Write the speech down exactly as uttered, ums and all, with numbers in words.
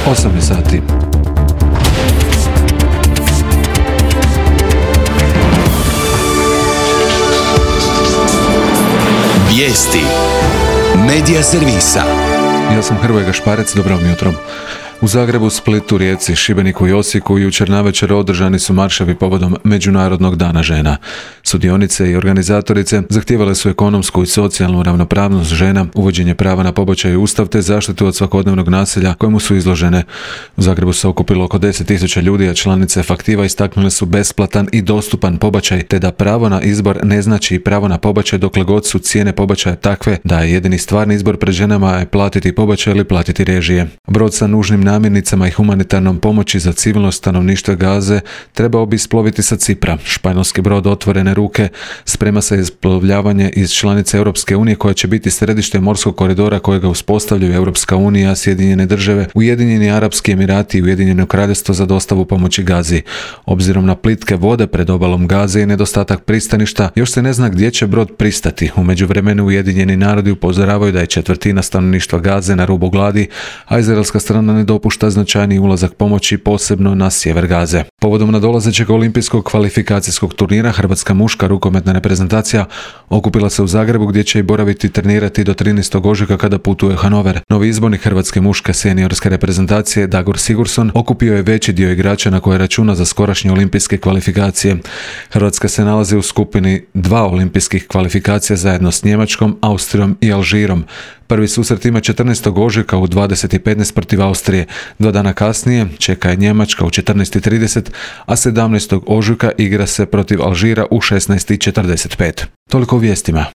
osam je sati. Vijesti Medija servisa. Ja sam Hrvoje Gašparec, dobro vam jutro. U Zagrebu, Splitu, Rijeci, Šibeniku i Osijeku jučer navečer održani su marševi povodom Međunarodnog dana žena. Sudionice i organizatorice zahtijevale su ekonomsku i socijalnu ravnopravnost žena, uvođenje prava na pobačaj u Ustav te zaštitu od svakodnevnog nasilja kojemu su izložene. U Zagrebu se okupilo oko deset tisuća ljudi, a članice Faktiva istaknule su besplatan i dostupan pobačaj, te da pravo na izbor ne znači i pravo na pobačaj dokle god su cijene pobačaja takve da je jedini stvarni izbor pred ženama je platiti pobačaj ili platiti režije. Brod sa nužnim namirnicama i humanitarnom pomoći za civilno stanovništvo Gaze trebao bi isploviti sa Cipra. Španjolski brod Otvorene ruke sprema se isplovljavanje iz članice Europske unije koja će biti središte morskog koridora kojega uspostavljaju Europska unija, Sjedinjene države, Ujedinjeni Arapski Emirati i Ujedinjeno Kraljevstvo za dostavu pomoći Gazi. Obzirom na plitke vode pred obalom Gaze i nedostatak pristaništa, još se ne zna gdje će brod pristati. U međuvremenu Ujedinjeni narodi upozoravaju da je četvrtina stanovništva Gaze na rubu gladi, a izraelska strana ne dopušta značajni ulazak pomoći, posebno na sjever Gaze. Povodom nadolazećeg olimpijskog kvalifikacijskog turnira, hrvatska muška rukometna reprezentacija okupila se u Zagrebu gdje će i boraviti i trenirati do trinaestog ožujka kada putuje u Hanover. Novi izbornik hrvatske muške seniorske reprezentacije Dagor Sigurdsson okupio je veći dio igrača na koje računa za skorašnje olimpijske kvalifikacije. Hrvatska se nalazi u skupini dva olimpijskih kvalifikacija zajedno s Njemačkom, Austrijom i Alžirom. Prvi susret ima četrnaestog ožujka u dvadeset i petnaest protiv Austrije. Dva dana kasnije čeka je Njemačka u četrnaest i trideset, a sedamnaestog ožujka igra se protiv Alžira u šesnaest i četrdeset pet. Toliko o vijestima.